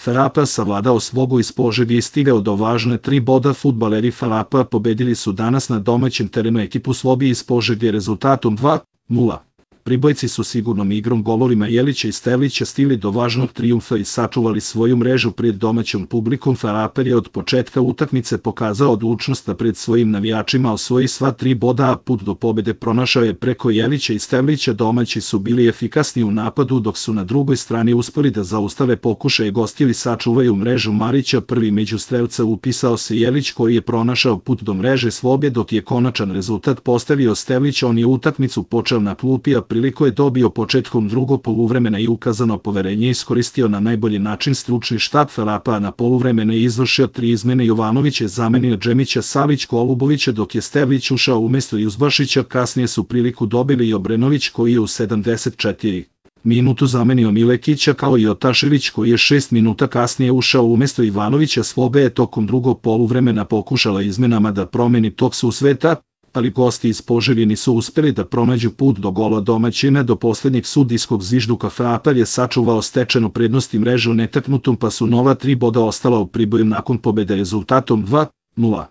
FAP savladao svogu iz Požege i stigao do važne 3 boda. Fudbaleri FAP pobedili su danas na domaćem terenu ekipu Slobi iz Požege rezultatom 2:0. Pribojci su sigurnom igrom, golovima Jelića i Sterlića stigli do važnog trijumfa i sačuvali svoju mrežu pred domaćom publikom. FAP je od početka utakmice pokazao odlučnost da pred svojim navijačima osvoji sva 3 boda, a put do pobede pronašao je preko Jelića i Sterlića. Domaći su bili efikasni u napadu, dok su na drugoj strani uspeli da zaustave pokušaje gostili sačuvaju mrežu Marića. Prvi među strelca upisao se Jelić, koji je pronašao put do mreže Slobe, dok je konačan rezultat postavio Sterlić. On je utakmicu počeo na klupi, a priliku je dobio početkom drugog poluvremena i ukazano poverenje iskoristio na najbolji način. Stručni štab FAP-a na poluvremena je izvršio 3 izmene. Jovanović je zamenio Džemića, Savić Golubovića, dok je Sterlić ušao umesto Juzbašića. Kasnije su priliku dobili i Obrenović, koji je u 74 minutu zamenio Milekića, kao i Otašević, koji je 6 minuta kasnije ušao umesto Ivanovića. Slobe je tokom drugog poluvremena pokušala izmenama da promeni tok susreta, ali gosti iz Požege nisu uspeli da pronađu put do gola domaćina. Do poslednjeg sudijskog zvižduka FAP je sačuvao stečenu prednost i mrežu netaknutom, pa su nova 3 boda ostala u Priboju nakon pobede rezultatom 2:0.